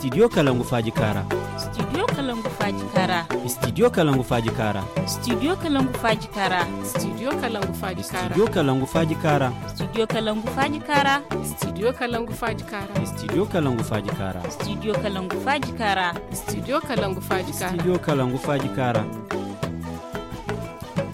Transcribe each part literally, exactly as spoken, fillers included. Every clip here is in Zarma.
Studio Kalangu Faaji Kaara. Studio Kalangu Faaji Kaara. Studio Kalangu Faaji Kaara. Studio Kalangu Faaji Kaara. Studio Kalangu Faaji Kaara. Studio Kalangu Faaji Kaara. Studio Kalangu Faaji Kaara. Studio Kalangu Faaji Kaara. Studio Kalangu Faaji Kaara. Studio Kalangu Faaji Kaara. Studio Kalangu Faaji Kaara. Studio Kalangu Faaji Kaara.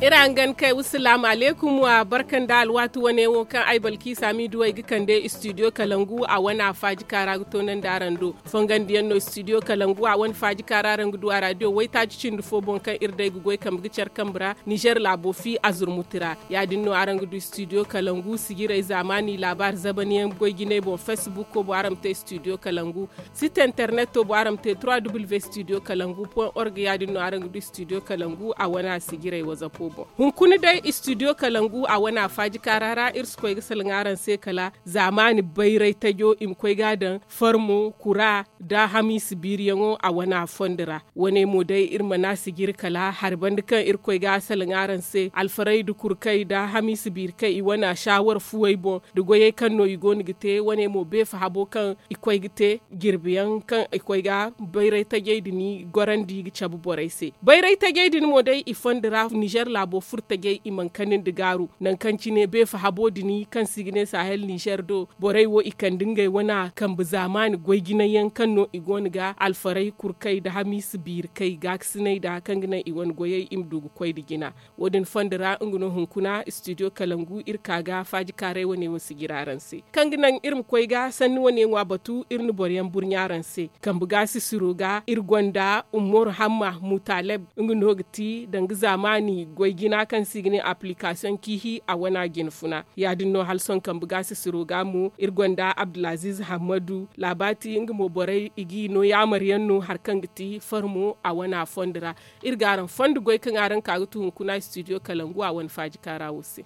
Iri hangan kay, wassalaamu alaykum, wa barka nda alwaati wane wo kaŋ ay Balkiisa Miidu ay ga kande studio Kalangu a wane a Faaji Kaara ga toonandi araŋ do. Fongandiyaŋ no studio Kalangu a wane Faaji Kaara araŋ ga du a raadiyo waytaaci cindi fo boŋ kaŋ iri day ga goy kambe ga care kambe ra Nizer laabo fi a zurmuti ra. Ya-din no araŋ ga du studio Kalangu sijirey zaamaani laabaari zabaniyaŋ goy jinay boŋ, facebook boŋ araŋ ma te studio Kalangu. Site interneto boŋ araŋ ma te trois w studio kalangu point org. Ya-din no araŋ ga du studio Kalangu a wane a sijirey wazapo boŋ. Hunkuna day studio Kalangu a wane a Faaji Kaara ra iri si koy ga salaŋ araŋ se kala zaamaani bayray tajo i ma koy ga a daŋ farmo kura nda hamiisa biiriyaŋo a wane a fondo ra. Wane mo day iri mana sijiri kala hari banda kaŋ iri koy ga a salaŋ araŋ se alfaray nda kurkay nda hamiisa biiri kaŋ i wane a saawar fuwey boŋ nda goyey kaŋ no i go no ga te. Wane mo beefa habo kaŋ i koy ga te jirbiyaŋ kaŋ i koy ga bayray tajey din gorandi ga cabe borey se. Bayray tajey din mo day i fondo ra nizer laabo furo tajey i mana kani nda gaaru nangu kaŋ cine beefa habo din kaŋ se i ga ne sahel nizer do borey wo i kande ngey wane kambe zaamaani goy jinay yaŋ kaŋ no i go no ga alfaray kurkay nda hamiisa biiri kay gaakasinay nda kaŋ ga naŋ i wane goyey i ma du ga koy nda jina. Wo- din fondo ra nga no hunkuna studio kalangu iri ka ga faaji kaaray wane wo sijira araŋ se kaŋ ga naŋ iri ma koy ga sanni wane ŋwa batu iri na boro yaŋ burɲa araŋ se. Kambe ga sisiro ga iri gonda umaru hamma mutaleb nga no ga ti danga zaamaani goy jina kaŋ se i ga ne application kiihi a wana jina funa. Ya- din no hala sohõ kambe ga sisiro ga mo iri gonda abdulaziz hammadu labaati nga mo borey i g'i no yaamar yaŋ no hari kaŋ ga ti farmo a wana fondo ra. Iri ga araŋ fondo goy kaŋ araŋ ka ga tu hunkuna studio kalangu a wane faaji kaara wo se.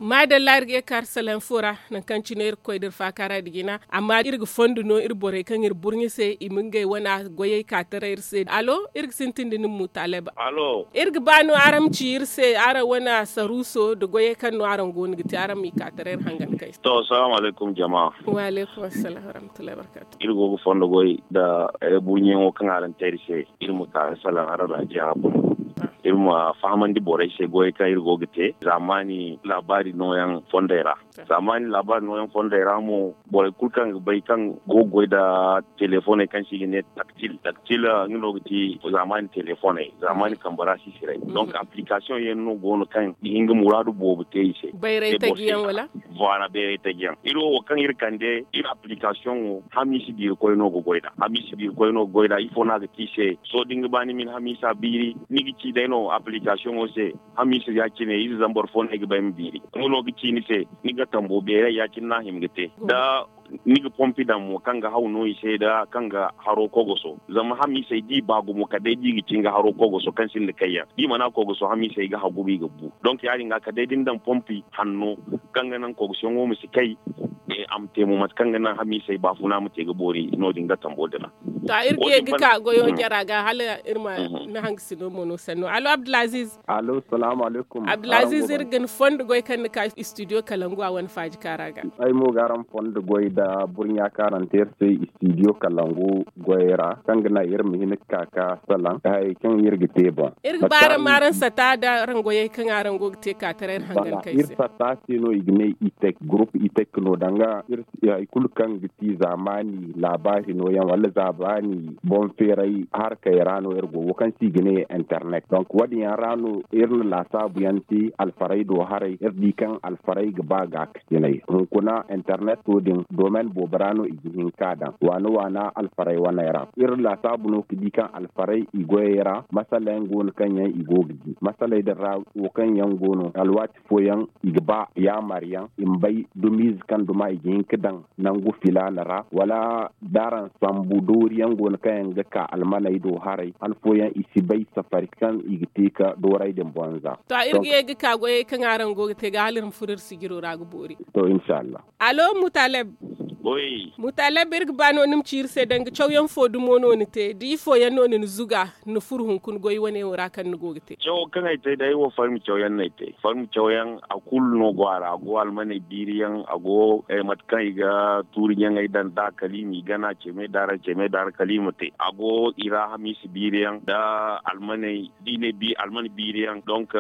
Maadalla iri ga ye kaari salaŋ fo ra nangu kaŋ cine iri ga koy da iri faakaara nda jina. Amma iri ga fondo no iri borey kaŋ iri burɲe se i ma ngey wane goyey ka taray iri se alo iri ga sintin da ni mutaleb. Iri ga ba no araŋ ma ci iri se araŋ wane saruuso nda goyey kaŋ no araŋ go no ga te araŋ m'i ka taray iri hangan kay se. To salaamu alaykum jama. Wa alaykum assalam warahmatullahi wabarkatu. Iri go ga fondo goy nda burɲeyaŋo kaŋ araŋ te iri se. Iri ma ka ga salaŋ araŋ raajiya boŋ. Iri ma fahamandi borey se goyey kaŋ iri go ga te zaamaani laabaari nooyaŋ fondey ra. Zaamaani laabaari nooyaŋ fondey ra mo borey kulu kaŋ ga bay kaŋ go ga goy nda telefoney kaŋ se i ga ne taktil taktil nga no ga ti zaamaani telefoney zaamaani kambe ra sisiray. Donk application yaŋ no go no kaŋ ga hin ga muraadu boobo te i se. Bayray taji yaŋ wala? Voilà bayray taji yaŋ iri wo wo kaŋ iri kande iri application wo hamiisi biiri koy no ga goy nd'a hamiisi biiri koy no ga goy nd'a ifo no a ga te i se? Sohõ da ni ga ba ni ma ni hamiisa biiri ni ga ci day no application wo se. Hamiisa ya- cine ize zambar fo no ay ga ba ay ma biiri nga no ga ci ni se. Ni ga tambo beeray ya- cine no a hima ga te da ni ga pompi daŋ mo kaŋ ga haw no i se nda kaŋ ga haro kogoso zama hamiisey da i ba gumo kala day da i ga ci nga haro kogoso kaŋ sinda kayyaŋ da i mana kogoso hamiisey ga haguba i ga bu donk ya- din ga kala day da ni daŋ pompi hanno kaŋ ga naŋ kogosiyaŋo ma si kay. A ma te mo mate kaŋ ga naŋ hamiisey baafuna ma te ga boori no- din ga tambo din ra. To iri ga ye ga ka goyo jara ga hala iri ma ni hangasino mo no sanno allo abdulaziz. Allo salaamu alaykum. Abdulaziz iri ga ni fondo goy kaŋ ni ka studio kalangu a wane faaji kaara ga. Ay mo ga araŋ fondo goy nda burɲa kaŋ araŋ te iri se studio kalangu goyey ra kaŋ ga naŋ iri ma hin ga ka ga salaŋ ga hayey kaŋ iri ga te boŋ. Iri ga ba araŋ ma araŋ sata nda araŋ goyey kaŋ araŋ go ga te ka taray iri hangan kay se. Iri sata se no i ga ne itek gurup itek no danga iri si hay kulu kaŋ ga ti zaamaani laabaari nooyaŋ wala zaamaani boŋ feeray harkey ra no iri go wo kaŋ se i ga ne internet donk wo- din yaŋ ra no iri na laasaabu yaŋ te alfarey do haray iri di kaŋ alfarey ga ba gaakasinay hunkuna interneto din domaine boobo ra no i ga hin ka daŋ waana waana alfarey waney ra iri laasaabu no ga di kaŋ alfarey i goyey ra masala yaŋ go no kaŋ yaŋ i go ga di masaley din ra wo kaŋ yaŋ go no alwaati fooyaŋ i ga ba yaamar yaŋ i ma bay dumiize kaŋ duma i ga hin ga daŋ nangu filaana ra wala da araŋ sambu doori yaŋ go no kaŋ yaŋ ga ka almaney do haray han fooyaŋ i si bay safari kaŋ i ga te ga dooray din boŋ za. To iri ga ye ga ka goyey kaŋ araŋ go ga te ga hala iri ma furo iri sijiro ra ga boori. To inshallah. Allo mutaleb. Mutaleb, iri ga ba no ni ma ci iri se danga cawyaŋ fo dumo no ni te da ifo yaŋ no ni na zuga ni furo hunkuna goy wane wo ra kaŋ ni go ga te? Cawo kaŋ ay te day wo farmi cawyaŋ no ay te. Farmi cawyaŋ a kulu no go a ra a go almaney biiriyaŋ a go mate kaŋ i ga tuuri ɲaŋey daŋ da kala i m'i gana ceme daara ceme daara kala i ma te a go i ra hamiisa biiriyaŋ nda almaney da i ne almane biiriyaŋ donk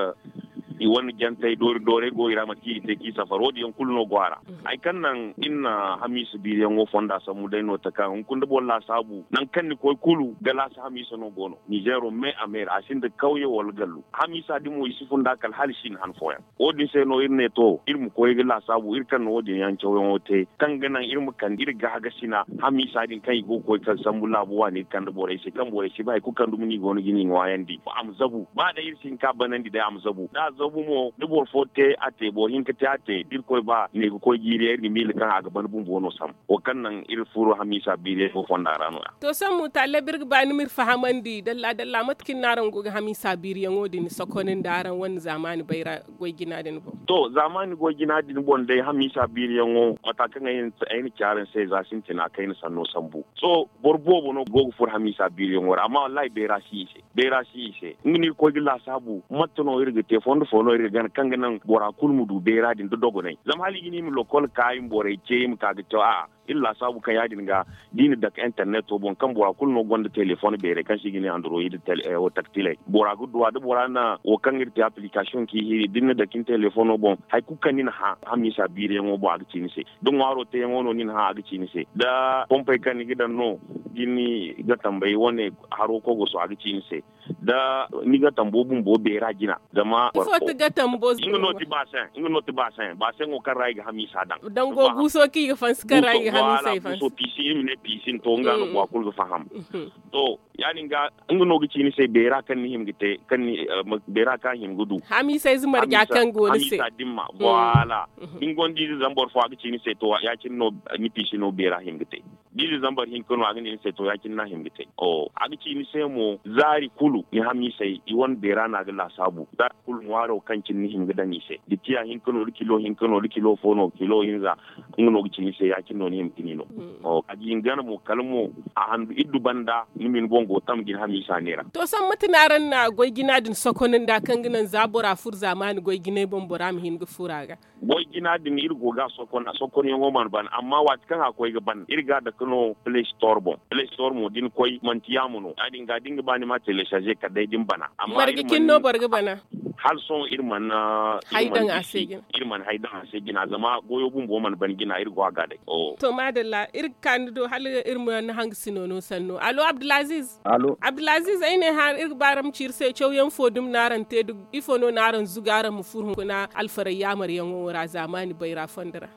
i wane jantey doori doorey go i ra mate kaŋ i ga te kaŋ i safar wo- din yaŋ kulu no go a ra. Hari kaŋ naŋ iri na hamiisa biiriyaŋo fonda sambu day no taka hunkuna da boro laasaabu nangu kaŋ ni koy kulu galaasi hamiisa no go no nizeero me a meera a sinda kawye wala gallu hamiisa din mo i si funda kala hala i si hin han fooyaŋ. Wo- din se no iri ne to iri ma koy ga laasaabu iri kaŋ na wo- din yaŋ cawyaŋo te kaŋ ga naŋ iri ma kande iri gaagasina hamiisa din kaŋ i go ga koy kala sambu laabu waani iri kande borey se kaŋ borey si ba hari kulu kaŋ dumi no i go no ga ni ŋwaayandi a ma zabu ba day iri si hin ka banandi day a ma zabu da a zabu mo da boro fo te a te boro hinka te a te da irkoy ba ne ga koy jiiri yaŋ iri ga miila kaŋ a ga ban bumbo no sambu wo kaŋ naŋ iri furo hamiisa biiri yaŋ go fonda ra no- ya. To sohõ mutaleb iri ga ba ni ma iri fahamandi dalla dalla mate kaŋ ni no araŋ go ga hamiisa biiriyaŋo din sokonandi araŋ wane zaamaani bayra goy jina din boŋ? To zaamaani goy jina din boŋ day hamiisa biiriyaŋo mata kaŋ ay na ci araŋ se za sintina kayna sanno sambu sohõ boro boobo no go ga furo hamiisa biiriyaŋo ra amma wallahi bayra si i se. Bayra si i se nga no iri koy ga laasaabu mate no iri ga te fondo fo no iri ga gana kaŋ ga naŋ bora kulu ma du bayra din da dogonay zama hala i ga ne i ma lokol ka i ma borey ce i ma ka ga caw a'a iri laasaabu kaŋ ya- din ga da i na dake interneto boŋ kaŋ bora kulu no gonda telefoŋ bayray kaŋ se i ga ne android taktiley bora ga duw'a da bora na wo kaŋ iri te application ka i hiiri da ni na dake ni telefoŋo boŋ hari kulu kaŋ ni na hã hamiisa biiriyaŋo boŋ a ga ci ni se da ŋwaaro teeyaŋo no ni na hã a ga ci ni se da pompey kaŋ ni ga daŋ no da ni ga tambay wane haro kogoso a ga ci ni se da ni ga tambo bumbo bayra jina zama ifo ti ga tambo nga no ti basen nga no ti basen basen wo kaŋ ra i ga hamiisa daŋ dango guuso kaŋ i ga fansi kaŋ ra i ga hamiisa i fansi piisi iri ma ne piisi to nga no bora kulu ga faham to ya- din ga nga no ga ci ni se bayra kaŋ ni hima ga te kaŋ ni bayra kaŋ a hima ga du hamiisa ize marja kaŋ go ni se hamiisa dimma voilà da ni gonda ize zambar fo a ga ci ni se to ya- cine no ni piisi no bayra hima ga te da ize zambar hinka no a ga ne ni se to ya- cine no a hima ga te a ga ci ni se mo zaari kulu ni hamiisey i wane bayra no a ga laasaabu zaari kulu ŋwaaro kaŋ cine ni hima ga daŋ i se da tiya hinka no da kilo hinka no da kilo fo no kilo hinza nga no ga ci ni se ya- cine no ni hima ga ni no a ga hin gana mo kala mo a handu iddu banda ni ma ni boŋ go tam ga ni hamiisa neera. To sohõ mate no araŋ na goy jina din sokonandi a kaŋ ga naŋ za bora furo zaamaani goy jinay boŋ bora ma hin ga furo a ga goy jina din iri go ga a sokon a sokonyaŋo mana ban amma waati kaŋ a koy ga ban iri ga a dake no play store boŋ play store mo da ni koy manti yaamo no ya- din ga da ni ga ba ni ma telecharger kala day da ni bana amma marga cine no boro ga bana hala sohõ iri mana hay daŋ a se jina iri mana hay daŋ a se jina zama goyo bumbo mana ban jina iri go a ga day. To maadalla iri ga ka ni do hala iri ma ni hangasino no sanno allo abdulaziz. Allo abdulaziz ay ne hã iri ga ba araŋ ma ci iri se cawyaŋ fo dumi no araŋ te da ifo no no araŋ zuga araŋ ma furo hunkuna alfaray yaamaryaŋo ra zaamaani bayra fondo ra?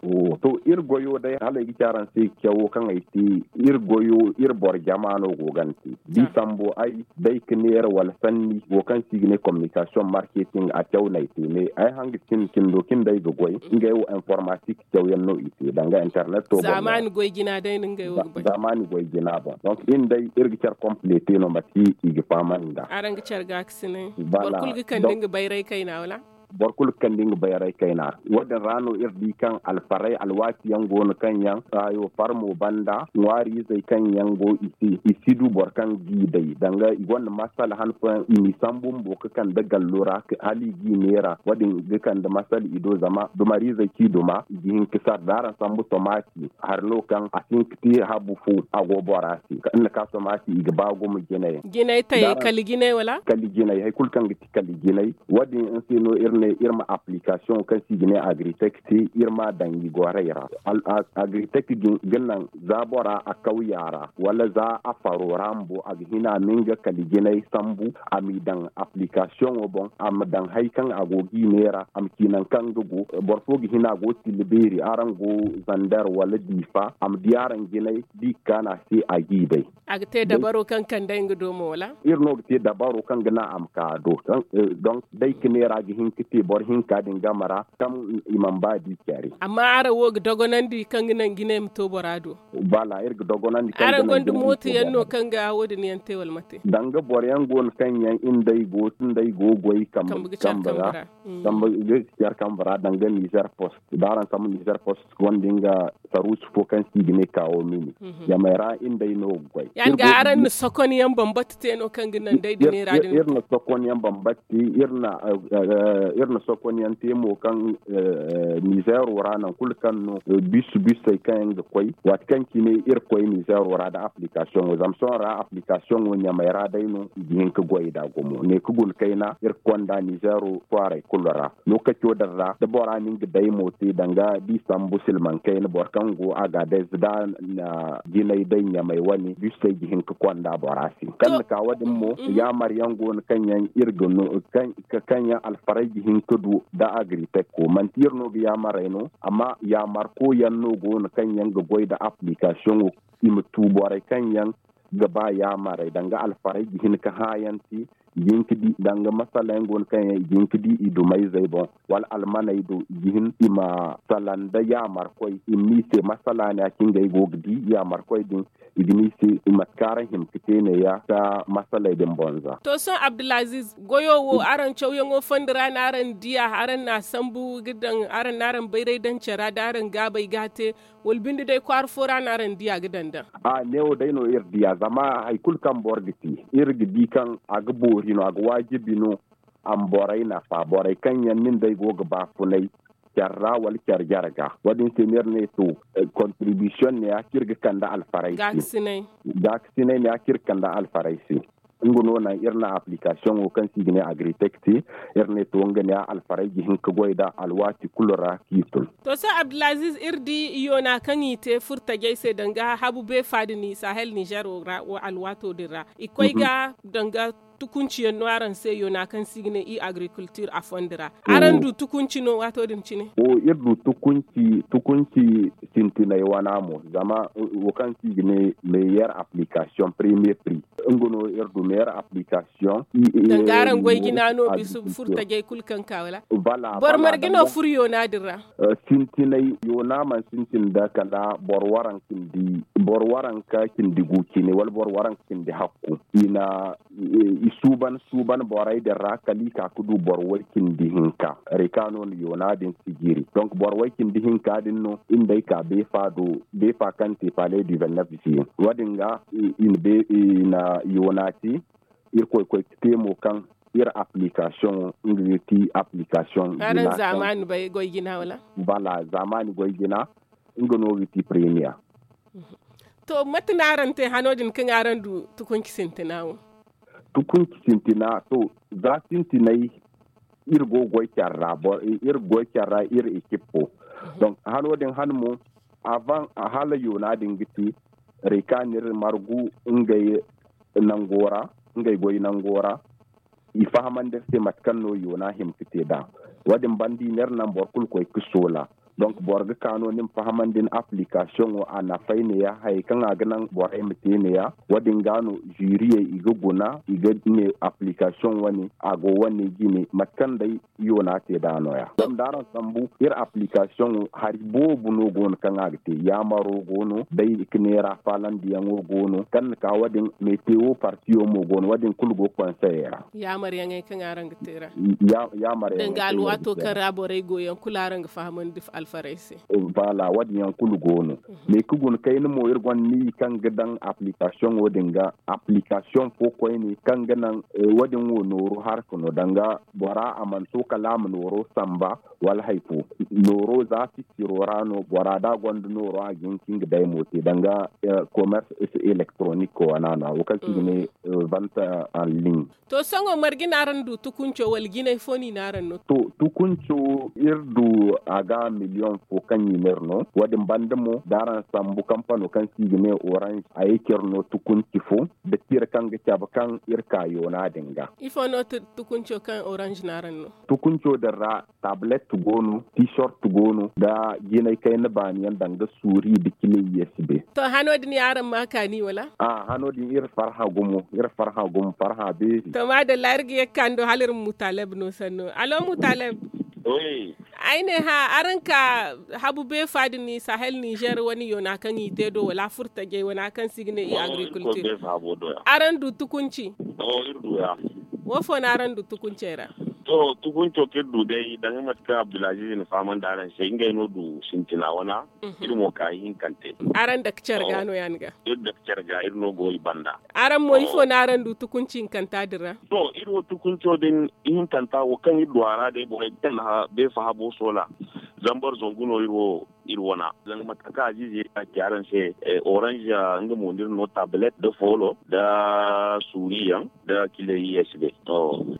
To iri goyo day hala ay ga ci araŋ se cawo kaŋ ay te iri goyo iri boro jama no go ga ni te da i sambu ay day ga neera wala sanni wo kaŋ se i ga ne communication marketing a caw no ay te mais ay hanga cin cindo cin day ga goy ngey wo informatique cawyaŋ no i te danga internet to boŋ zaamaani goy jina day no ngey wo ga bay zaamaani goy jina boŋ donc iri day iri ga care complete no mate i ga fahamandi nd'a araŋ ga care ga ga sinay boro kulu ga kande nga bayray kayna wala boro kulu ga kande nga bayray kayna wo- din ra no iri di kaŋ alfaray alwaati yaŋ go no kaŋ yaŋ hayo farmo banda ŋwaari izey kaŋ yaŋ go i se i si du boro kaŋ g'i day danga i gonda masala han fooyaŋ i n'i sambu bumbo ga kande gallo ra hala i g'i neera wo- din ga kande masala i do zama dumariizey kaŋ i duma i ga hin ga sara da araŋ sambu tomaati hari no kaŋ a si hin ga te habu fo a go bora se iri na ka tomaati i ga ba gumo jinay jinay tayey kala jinay wala kala jinay hari kulu kaŋ ga ti kala jinay wo- din se no iri ne iri ma application kaŋ se i ga ne agritech te iri m'a daŋ i gorey ra agritech ga naŋ za bora a kawya ra wala za a faro ra bumbo a ga hina ma nga kala jinay sambu a m'i daŋ application wo boŋ a ma daŋ hari kaŋ a go g'i neera a ma ci naŋ kaŋ nga go boro fo ga hina go tilla beeri araŋ go zander wala diifa a ma di araŋ jinay da i ga kaanu a se a g'i day a ga te dabaro kaŋ kande nga do mo wala iri no ga te dabaro kaŋ ga naŋ a ma ka a do donc day ga neera ga hin ga te boro hinka din game ra kaŋ i mana ba di care. Amma araŋ wo ga dogonandi kaŋ ga naŋ jinay ma to bora do. Bala iri ga dogonandi kaŋ ga naŋ jinay ma to bora do. Araŋ gonda mooto yaŋ no kaŋ ga wo- din yaŋ te wala mate? Danga boro yaŋ go no kaŋ yaŋ inday go inday go goy kambe ga care kambe ra. Kambe ga care kambe ra danga nizer post da araŋ sambu nizer post gonda nga saruusu fo kaŋ se i ga ne kaawo mini. Jamay ra inday no ga goy. Yaŋ ga araŋ na sokon yaŋ bambata te no kaŋ ga naŋ day da neera din. Iri na sokon yaŋ bambata te. Iri na sokon yaŋ te mo kaŋ nizeero ra nangu kulu kaŋ no bisu bisey kaŋ yaŋ ga koy waati kaŋ cine iri koy nizeero ra nda application wo zama sohõ ra application wo ɲamay ra day no i ga hin ga goy nd'a gumo ne ga guna kayna iri ga konda nizeero kwaaray kulu ra. Lookaco din ra da bora na nga day mo te danga da i sambu silmaŋ kayna boro kaŋ go a ga day za da na jinay day ɲamay wane bisey ga hin ga konda bora se kaŋ na ka wo- din mo yaamar yaŋ go no kaŋ yaŋ iri ga no kaŋ yaŋ alfaray ga hin ga du nda agriteko manti iri no ga yaamarey no amma yaamarko yaŋ no go no kaŋ yaŋ ga goy nda application wo i ma tu borey kaŋ yaŋ ga ba yaamarey danga alfaray ga hin ga hãayanti i ga hin ga di danga masala yaŋ go no kaŋ yaŋ i ga hin ga di i dumayzey boŋ wala almaney do i ga hin i ma sala nda yaamarkoy i ma ne i se masala ne ya cine ngey go ga di yaamarkoy din i ga ne i se mate kaŋ araŋ hima ga te ne- ya ga masaley din boŋ za. To sohõ abdulaziiz goyo wo araŋ cawyaŋo fondi ra no araŋ diya araŋ na a sambu ga daŋ araŋ no araŋ bayray daŋ care ra da araŋ gaabey ga a te wala binde day kwaara fo ra no araŋ diya ga daŋ daŋ? A neewo day no iri diya zama hari kulu kaŋ boro ga te iri ga di kaŋ a ga boori no a ga waajibi no a ma borey nafa borey kaŋ yaŋ nin day go ga baafunay care ra wala care jare ga wo- din se no iri ne to kontiribisiyoŋ ne ya kaŋ iri ga kande alfaray se gaakasinay ne ya kaŋ iri ga kande alfaray se. Nga no naŋ iri na application wo kaŋ se i ga ne agritek te iri ne to nga ne ya alfaray ga hin ga goy nd'a alwaati kulu ra kaŋ i tun. To sohõ abdulaziiz iri di yoona kaŋ i te furtajey se danga habu beefa din sahel nizeero ra alwaato din ra i koy ga danga tukunci yaŋ no araŋ se yoona kaŋ se i ga ne i agrikultir a fondi ra araŋ du tukunci no waato din cine? Iri du tukunci sintinay wana mo zama wo kaŋ se i ga ne meyer application premier pri nga no iri du meyer application. Danga araŋ goy jina no bisu furtajey kulu kaŋ ka wala? Boro marga no furo yoona din ra? Sintinay yoona mana sintin nda kala boro waranka cindi gu cine wala boro waranka cindi hakku i na i suuban suuban borey din ra kala i ka ga du boro way cindi hinka. Reka no na yoona din sijiri donk boro way cindi hinka din no iri nda ay ka beefa do beefa kaŋ te pale du vennef siyen wo- din ga i na yoona te. Iri koy koy ga te mo kaŋ iri application nga ga ti application araŋ zaamaani bay goy jina wala? Bala zaamaani goy jina nga no ga ti premier. To mate no araŋ te hano din kaŋ araŋ du tukunci sintina wo? Tukunci sintina to za sintinay iri go ga goy care ra iri ga goy care ra iri ekip fo. Donk hano din han mo avant hala yoona din ga te reka no iri margu ngey nango ra ngey goy nango ra i fahamandi iri se mate kaŋ no yoona hima ga te nd'a. Wo- din banda i ne iri naŋ boro kulu koy ga soola donk boro ga ka no ni ma fahamandi ni application wo a nafay ne- ya hayey kaŋ a ga naŋ borey ma te ne- ya wo- din ga no ziriyey i ga guna i ga ne application wane a go wane jine mate kaŋ day yoona te nd'a no- ya zama da araŋ sambu iri application wo hari boobo no go no kaŋ a ga te yaamaro go no day ga neera faalandiyaŋo go no kaŋ na ka wo- din metewo partiyo mo go no wo- din kulu go ga konseyey ra. Yaamaryaŋey kaŋ araŋ ga te ra danga alwaato kaŋ ra borey go yaŋ kulu araŋ ga fahamandi alfarey se. Bala wo- din yaŋ kulu go no. Mais ga guna kayna mo iri gonda ni kaŋ ga daŋ application wo- din ga application fo koyne kaŋ ga naŋ wo- din wo nooru harka no danga bora a mana to kala a ma nooro samba wala hari fo. Nooro za fittiro ra no bora da gonda nooro a ga hin ka nga day mo te danga commerce electronique wana no wo kaŋ se i ga ne vente en ligne. To sohõ marga no araŋ du tukunco wala jinay fo no i ne araŋ no? To tukunco iri du a ga liyon fo kaŋ i n'iri no. Wo- din banda mo da araŋ sambu kampano kaŋ se i ga ne orange a ye k'iri no tukunci fo da tira kaŋ ga cabe kaŋ iri ka yoona din ga. Ifo no tukunco kaŋ orange no araŋ no? Tukunco din ra tablet go no, t-shirt go no, da jinay kayna baani yaŋ danga suuri da kile usb. To hano din ya araŋ ma kaani wala? Hano din iri farhã gumo iri farhã gumo farhã beeri. To maadalla iri ga ye ga kaani do hala iri ma mutaleb no sanno alo mutaleb. Ay ne hã araŋ ka habu beefa din sahel nizer wane yoona kaŋ i te do wala furtajey wane kaŋ se i ga ne i agriculture? Araŋ du tukunci? Wo fo no araŋ du tukuncey ra? To tukunco kaŋ iri du day danga mate kaŋ abdulaziz na fahamandi araŋ se ngey no du sintina wana. Iri mo ka ihinkante. Araŋ dake care ga no ya ni ga? Iri dake care ga iri no go i banda. Araŋ mo ifo no araŋ du tukunci hinkanta din ra? To iri wo tukunco din ihinkanta wo kaŋ iri du a ra day borey kaŋ na beefa habo soola zambar zangu no iri wo iri wana. Zanga mate kaŋ aziize iri ka ci araŋ se, orange nga mo no iri no tablet nda foolo nda suuri yaŋ nda kile usb.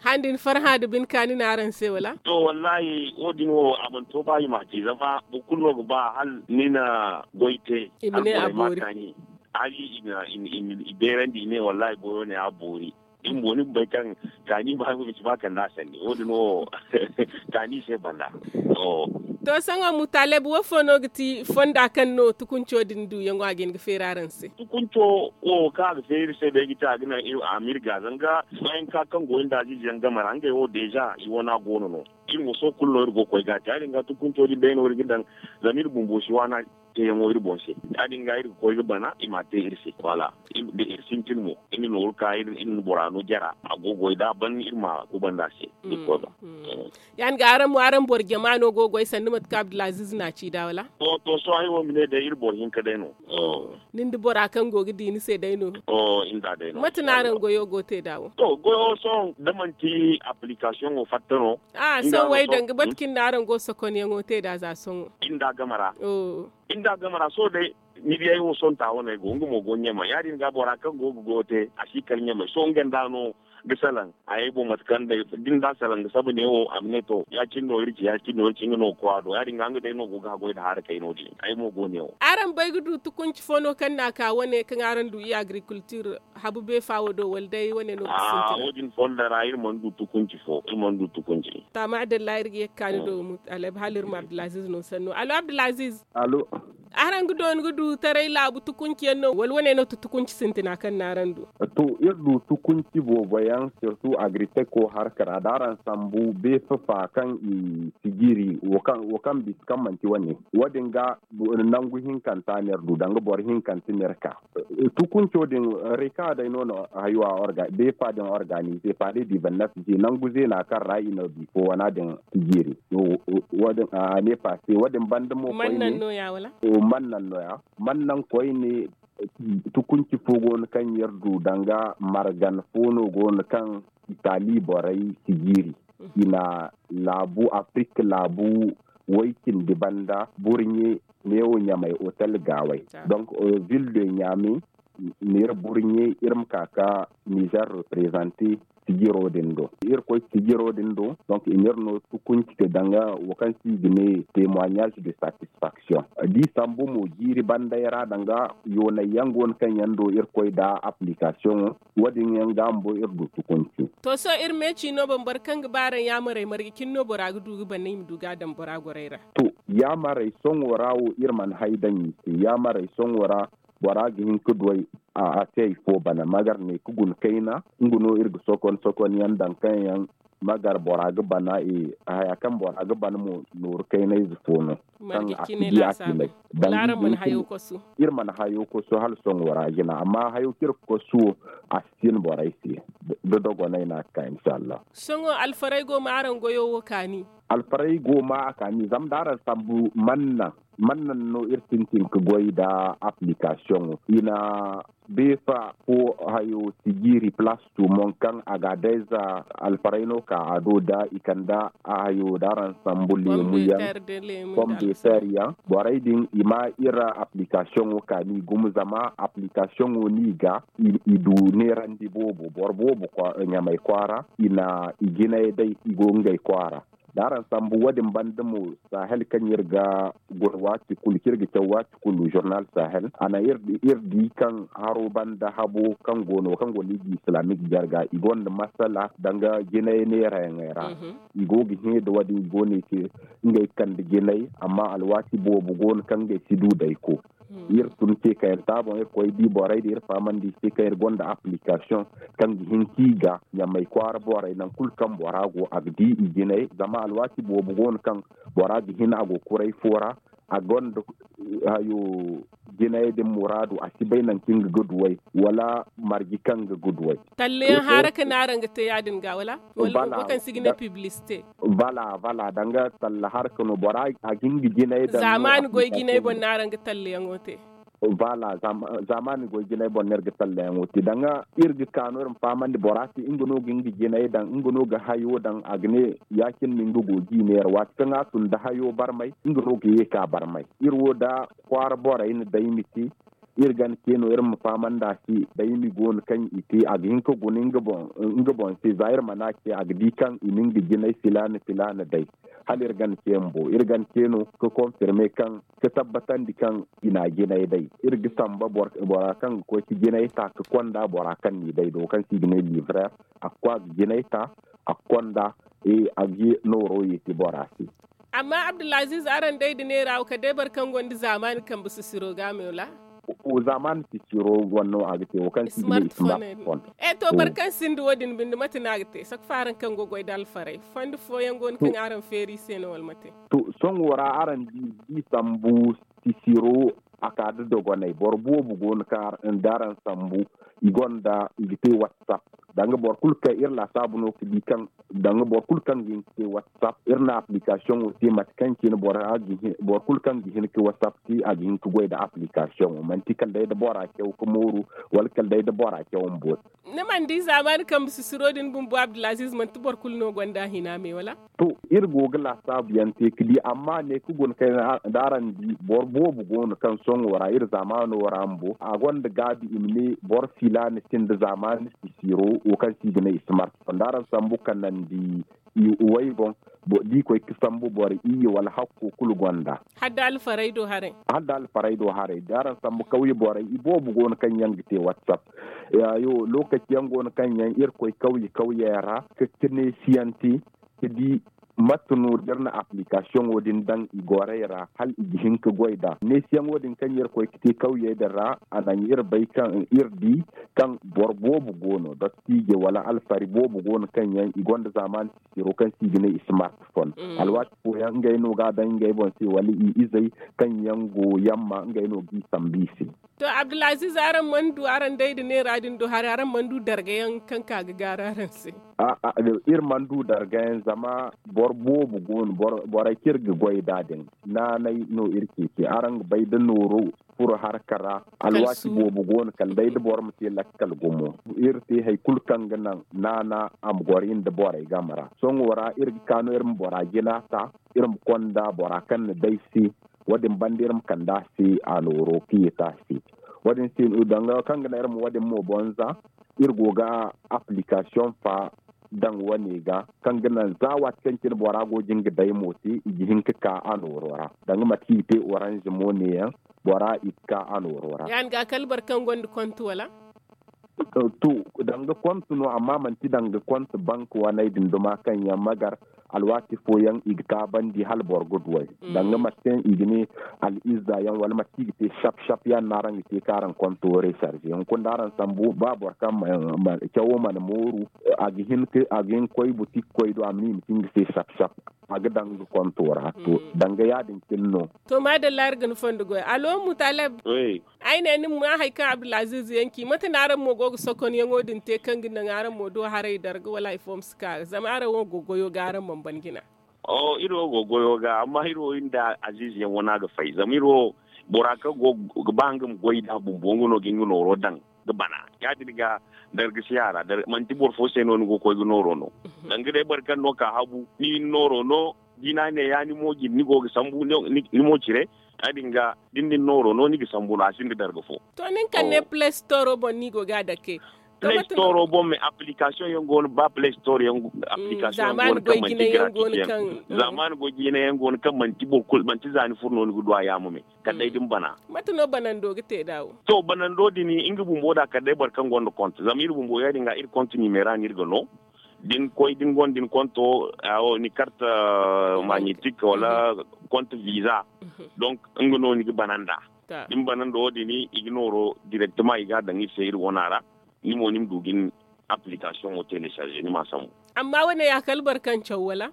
Hala da ni farhã da bine kaani no araŋ se wala? To wallahi wo- din wo a mana to ba i m'a te zama boro kulu no ga ba hala ni na goy te. Hala borey ma kaani hala i beerandi i ne wallahi goyo ne a boori. Din bo ni ga bay kaŋ kaani ba ga ci ba kande a sandi wo- din wo kaani se banda. To sohõ mutaleb wo fo no ga ti fonda kaŋ no tukunco din duyaŋo a ga hin ga feeri araŋ se? Tukunco wo kaŋ a ga feeri iri se day ga ti a ga naŋ a ma iri ga zanga bayanka kaŋ go iri nda aziize yaŋ game ra ngey wo deeza i wana go no no. Iri mo sohõ kulu no iri go ga koy ga a te ya- din ga tukunco din day no iri ga daŋ zama iri bumbo si waana teeyaŋo iri boŋ se. Ya- din ga iri ga koy ga bana i m'a te iri se wala da iri sintin mo iri na nooru ka iri na bora no jara a go ga goy da a ban iri ma kubanda se. Iri koy ba. Ya- din ga araŋ mo araŋ boro jama no go ga goy sanda mate kaŋ abdulaziz no a ci da wala? To sohõ ay wo ma ne day iri boro hinka day no. Ni nda bora kaŋ go ga di ni se day no? Mate no araŋ goyo go te da wo? To goyo sohõ da manti application wo fatta no. Sohõ way danga mate kaŋ ni na araŋ go sokonyaŋo te da za sohõ. Iri nda a game ra. Iri nda a game ra sohõ day ni di ay wo sohõ ta wane ay go nga mo go ɲamay ya- din ga bora kaŋ go ga goyo te a si kala ɲamay sohõ nga nda no ga salaŋ. Ay ay boŋ mate kaŋ day da ni nda a salaŋ ga saba ne wo a ma ne to ya- cine no iri ci ya- cine no iri ci nga no ga koy a do ya- din ga nga day no go ga haggoy nda haara kay no- din ay mo go ne wo. Araŋ bay ga du tukunci fo no kaŋ no a ka wane kaŋ araŋ du i agriculture habu beefa wo do wala day wane no ga sintin? Wo- din fonda ra iri mana du tukunci fo iri mana du tukunci. To a ma adalla iri ga ye ga kaani do mutaleb hala iri ma abdulaziz no sanno alo abdulaziz. Araŋ ga dooni ga du taray laabu tukunci yaŋ no wala wane no ti tukunci sintina kaŋ no araŋ du? To iri du tukunci boobo yaŋ sirtu agriteko harka ra da araŋ sambu beefa fa kaŋ i sijiri wo kaŋ bisa kaŋ manti wane wo- din ga nangu hinkanta no iri du danga boro hinkanta no iri ka. Tukunco din reka day no no hayo a beefa din organize pale di bannat je nangu zeena kaŋ ra i no bifo wana din sijiri. Wo- din a ne pase wo- din banda mo koyne. Man naŋ no ya man naŋ koyne tukunci fo go no kaŋ yer du danga margan fo no go no kaŋ itali borey sijiri i na laabu afrik laabu way cindi banda burɲe neewo ɲamay hotel gaaway. Donc ville de ɲame neera burɲe iri ma ka ka nizer reprezante sijiro din do iri koy sijiro din do. Donc i n'iri no tukunci te danga wo kaŋ se i ga ne temoignage de satisfaction. Da i sambu mo jiiri banday ra danga yoonay yaŋ go no kaŋ yaŋ do iri koy nda application wo- din yaŋ ga bumbo iri du tukunci. To sohõ iri me ciino boŋ boro kaŋ ga ba araŋ yaamarey marje cine no bora ga du ga bana i ma du ga a daŋ bora gorey ra? To yaamarey sohõ ra wo iri mana hay daŋ i se yaamarey sohõ ra bora ga hin ga du ay a se hay fo bana magar ne ga guna kayna nga no iri ga sokon sokon yaŋ daŋ kaŋ yaŋ magar bora ga bana. Haya kaŋ bora ga bana mo nooru kaynayze fo no kaŋ a si di a cine. Iri mana hayo kosu hala sohõ ra jina amma hayo kaŋ iri ga kosu wo a si cine borey se. Da dogonay no a ga ka inshallah. Sohõ alfaray go ma araŋ goyo wo kaani? Alfaray go ma a kaani zama da araŋ sambu manna manna no iri sintin ga goy nda application wo i na beefa fo hayo sijiri place tumon kaŋ a ga dayza alfaray no ka a do da i kande a hayo da araŋ sambu leemu yaŋ, pombeter yaŋ borey din i ma iri application wo kaani gumo zama application wo no i ga i du neerandi boobo boro boobo ɲamay kwaara i na i jinay day i go ngey kwaara. Araŋ sambu wo- din banda mo, sahel kaŋ iri ga goro waati kulu kaŋ iri ga caw waati kulu journal sahel a naŋ iri di kaŋ haro banda habo kaŋ go no kaŋ go no i ga islamic jarga i gonda masala danga jinay neerayaŋey ra. I go ga hẽ da wo- din i go no i te ngey kande jinay amma alwaati boobo go no kaŋ ngey si du dayko. Iri tun ce kaŋ iri taabon iri koy di borey da iri fahamandi se kaŋ iri gonda application kaŋ ga hin ka i ga ɲamay kwaara borey nangu kulu kaŋ bora go a ga di i jinay zama alwaati boobo go no kaŋ bora ga hin a go kuray fo ra a gonda hayo jinay din muraadu a si bay nangu kaŋ nga ga duway wala marji kaŋ nga ga duway. Talleyaŋ haara ka no araŋ ga te ya- din ga wala? Wala boro kaŋ si ga ne publicité. Bala bala danga talla harka no bora a ga hin ga jinay daŋ zaamaani goy jinay boŋ no araŋ ga tallayaŋo te. Bala zaamaani goy jinay boŋ no iri ga tallayaŋo te danga iri ga ka no iri ma fahamandi bora se nga no ga hin ga jinay daŋ nga no ga hayo daŋ a ga ne ya- cine no nga go ga i neera waati kaŋ a tun nda hayo barmay nga no ga ye ka barmay iri wo da kwaara borey na day ma te. Iri gana ce no iri ma fahamandi a se day ma i go no kaŋ i te a ga hin ka guna nga boŋ se za iri mana ce a ga di kaŋ i na nga jinay filaana filaana day. Hala iri gana ce bumbo iri gana ce no ka konfirme kaŋ ka tabbatandi kaŋ i na a jinay day. Iri ga samba bora kaŋ ga koy ka jinay ta ka konda bora kaŋ n'i day do kaŋ se i ga ne livrer a ga koy a ga jinay ta a ga konda a ga nooro yeeti bora se. Amma abdulaziiz araŋ day da neera wo kala day boro kaŋ gonda zaamaani kambe sisiro ga me wala? Zaamaani sisiro wane no a ga te wo kaŋ se i ga ne smartphone. E to boro kaŋ sinda wo- din binde mate no a ga te sakfa araŋ kaŋ ga goy da alfaray fondi fooyaŋ go no kaŋ araŋ feeri i se no wala mate? To sohõ ra araŋ di sambu sisiro a ka da dogonay boro boobo go no kaŋ da araŋ sambu i gonda i ga te whatsapp. Danga boro kulu kaŋ iri laasaabu no ga di kaŋ danga boro kulu kaŋ ga hin ga te whatsapp iri na application wo te mate kaŋ cine boro kulu kaŋ ga hin ga whatsapp te a ga hin ga goy nda application wo manti kala day da bora caw ga mooru wala kala day da bora caw ma boori. Ni mana di zaamaani kambe sisiro din bumbo abdulaziiz manti boro kulu no gonda a hina me wala? To iri go ga laasaabu yaŋ te ga di amma ne ga guna kayna da araŋ di boro boobo go no kaŋ sohõ ra iri zaamaano ra bumbo a gonda gaabi i ma ne boro filaana sinda zaamaani sisiro wo kaŋ se i ga ne smartphone da araŋ sambu kanandi i way boŋ da i koy ga sambu boro iyye wala hakko kulu gonda. Hala da alfaray do haray da araŋ sambu kawye borey i boobo go no kaŋ yaŋ ga te whatsapp. Lookaci yaŋ go no kaŋ yaŋ iri koy kawye kawye yaŋ ra ga cine siyaŋ te ga di mate no da iri na application wo din daŋ i gorey ra hala i ga hin ga goy nd'a neesiyaŋo din kaŋ iri koy ga te kawyey din ra a naŋ iri bay kaŋ iri di kaŋ boro boobo go no dottiije wala alfari boobo go no kaŋ yaŋ i gonda zaamaani sisiro kaŋ se i ga ne smartphone. Alwaati fooyaŋ ngey no ga a daŋ ngey boŋ se wala i izey kaŋ yaŋ go yamma ngey no ga i sambu i se. To abdulaziiz araŋ mana du araŋ day nda neera din do haray araŋ mana du dargayaŋ kaŋ ka ga gaaru araŋ se? Iri mana du dargayaŋ zama boro boobo go no borey kaŋ iri ga goy nd'a din naanay no iri ceeci araŋ ga bay da nooro furo harka ra. Alwaati boobo go no kala day da boro ma te lakkal gumo iri te hari kulu kaŋ ga naŋ naana a ma goro iri nda borey game ra sohõ ra iri ga ka no iri ma bora jina ta iri ma konda bora kaŋ na day se. Wo- din banda iri ma kande a se a nooro ka yeeti a se. Wo- din se danga kaŋ ga naŋ iri ma wo- din mo bonza iri go ga application fa daŋ wane ga kaŋ ga naŋ za waati kaŋ cine bora go ga hin ga day mo te i ga hin ga ka a nooro ra danga mate kaŋ i ga te orange mo ne yaŋ bora i ga ka a nooro ra. Ya- din ga kala boro kaŋ gonda konti wala? To danga konti no amma manti danga konti bank waney din duma kaŋ yaŋ ma gar alwaati fooyaŋ i ga taabandi hala boro ga duw'ey. Danga mate kaŋ i ga ne al'izza yaŋ wala mate kaŋ i ga te sap sap ya- din no araŋ ga te kaŋ araŋ konto resarze hunkuna da araŋ sambu ba boro kaŋ cawo mana mooru a ga hin ga koy butik koy do a ma ne i ma te nga se sap sap a ga daŋ nga konto ra to danga ya- din cine no. To maadalla iri ga ni fondo goy alo mutaleb. Ay ne ni ma maa hari kaŋ abdulaziiz yaŋ ci mate no araŋ mo go ga sokonyaŋo din te kaŋ ga naŋ araŋ mo do haray darga wala hari fo ma si ka zama araŋ wo go ga goyo ga araŋ mana ban jina. Iri wo go ga goyo ga amma iri wo iri nda aziiz yaŋ wana ga fay zama iri wo bora kaŋ go ga ba nga ma goy nd'a bumbo nga no ga nga nooro daŋ ga bana ya- din ga darga si a ra manti boro fo se no ni go ga koy ga nooro no. Danga day boro kaŋ no ka habu ni nooro no da i ne a ne ya ni mo jine ni go ga sambu ni mo cire. Ya- din ga da ni na ni nooro no ni ga sambu no a sinda darga fo. To nin kaŋ ne play store boŋ no i go ga a dake. Play store boŋ me application yaŋ go no ba play store yaŋ application yaŋ go no kaŋ manti gratis yaŋ. Zamani goy jine yaŋ go no kaŋ manti boro kulu manti za ni furo no ni ga du a yaamo me. Kala day da ni bana. Mate no banando ga te da wo? To banando din nga bumbo da kala day boro kaŋ gonda konto zama iri bumbo ya- din ga iri konto nimera no iri ga no. Da ni koy da ni gonda ni konto ni karte magnetic wala konto visa. Donc nga no ni ga bana nd'a. Da ni bana nda wo- din i ga nooro direktema i ga a daŋ iri se iri wana ra. Ni mo ni ma du ga ni application wo telecharger ni ma a sambu. Amma wo- ne ya kala boro kaŋ caw wala?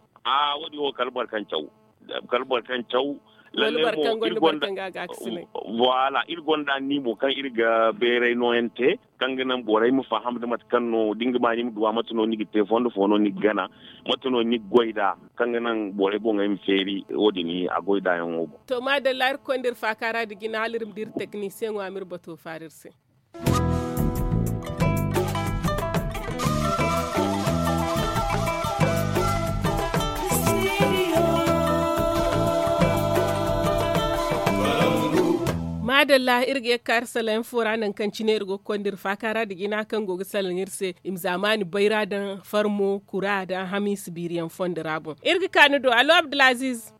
Wo- din wo kala boro kaŋ caw. Kala boro kaŋ caw. Lalle mo iri gonda voilà iri gonda ni mo kaŋ iri ga beeray nooyaŋ te kaŋ ga naŋ borey ma faham nda mate kaŋ no da ni ga ba ni ma duwa mate no ni ga te fondo fo no ni ga gana mate no ni ga goy nd'a. Kaŋ ga naŋ borey boŋey ma feeri wo- din a goy nd'a yaŋo boŋ. To maadalla iri ga konda iri faaka ra nda jina hala iri ma di iri teknisiyeŋo a ma iri bato faara iri se. Maadalla iri ga ye ga ka iri salaŋ yaŋ fo ra nangu kaŋ cine iri go ga konda iri faaka ra nda jina kaŋ go ga salaŋ iri se i ma zaamaani bayra daŋ farmo kura daŋ hamiisa biiri yaŋ fondo ra boŋ. Iri ga ka ni do allo abdulaziiz.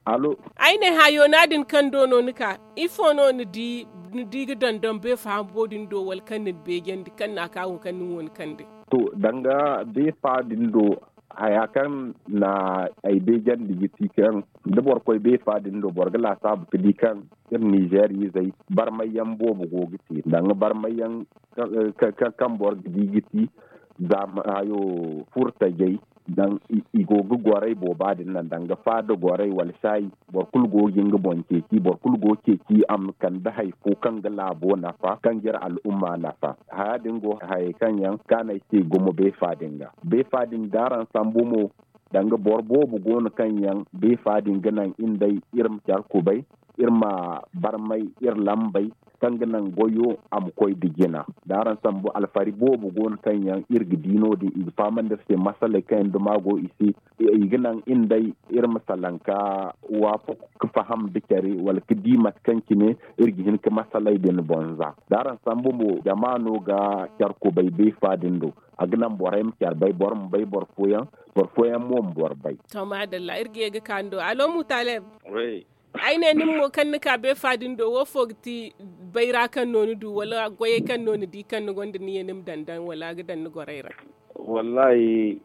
Ay ne hã yoona din kaŋ do no ni ka ifo no ni di ga dondon beefa habo din do wala kaŋ ni na beejandi kaŋ ni na ka wo kaŋ ni wo ni kande? To danga beefa din do haya kaŋ na ay beejandi ga ti kaŋ da boro koy beefa din do boro ga laasaabu ga di kaŋ iri nizeer izey barmay yaŋ boobo go ga te danga barmay yaŋ kaŋ boro ga di ga ti zaama hayo furtajey. Daŋ i go ga goray booba din naŋ danga faada goray wala saayi. Boro kulu go ga nga boŋ ceeci boro kulu go ceeci a ma kande hari fo kaŋ ga laabo nafa kaŋ ga iri al'umma nafa. Haya din go hayey kaŋ yaŋ kaanay se gumo beefa din ga beefa din da araŋ sambu mo. Danga boro boobo go no kaŋ yaŋ beefa din ga naŋ iri day iri ma care kubay iri ma barmay iri lambay kaŋ ga naŋ goyo a ma koy da jina. Da araŋ sambu alfari boobo go no kaŋ yaŋ iri ga di no- din i ga fahamandi iri se masaley kaŋ yaŋ duma go i se i ga naŋ iri day iri ma salaŋ ka waafaku ga faham da care wala ga di mate kaŋ cine iri ga hin ga masaley din boŋ za. Da araŋ sambu mo jama no ga care kubay beefa din do a ga naŋ borey ma care bay boro ma bay boro fooyaŋ boro fooyaŋ mo ma boro bay. To maadalla iri ga ye ga ka ni do alo mutaleb. Ay ne nin mo kaŋ ni ka beefa din do wo fo ga ti bayra kaŋ no ni du wala goyey kaŋ no ni di kaŋ ni gonda ni ye ni ma daŋ daŋ wala a ga daŋ ni gorey ra? Wallahi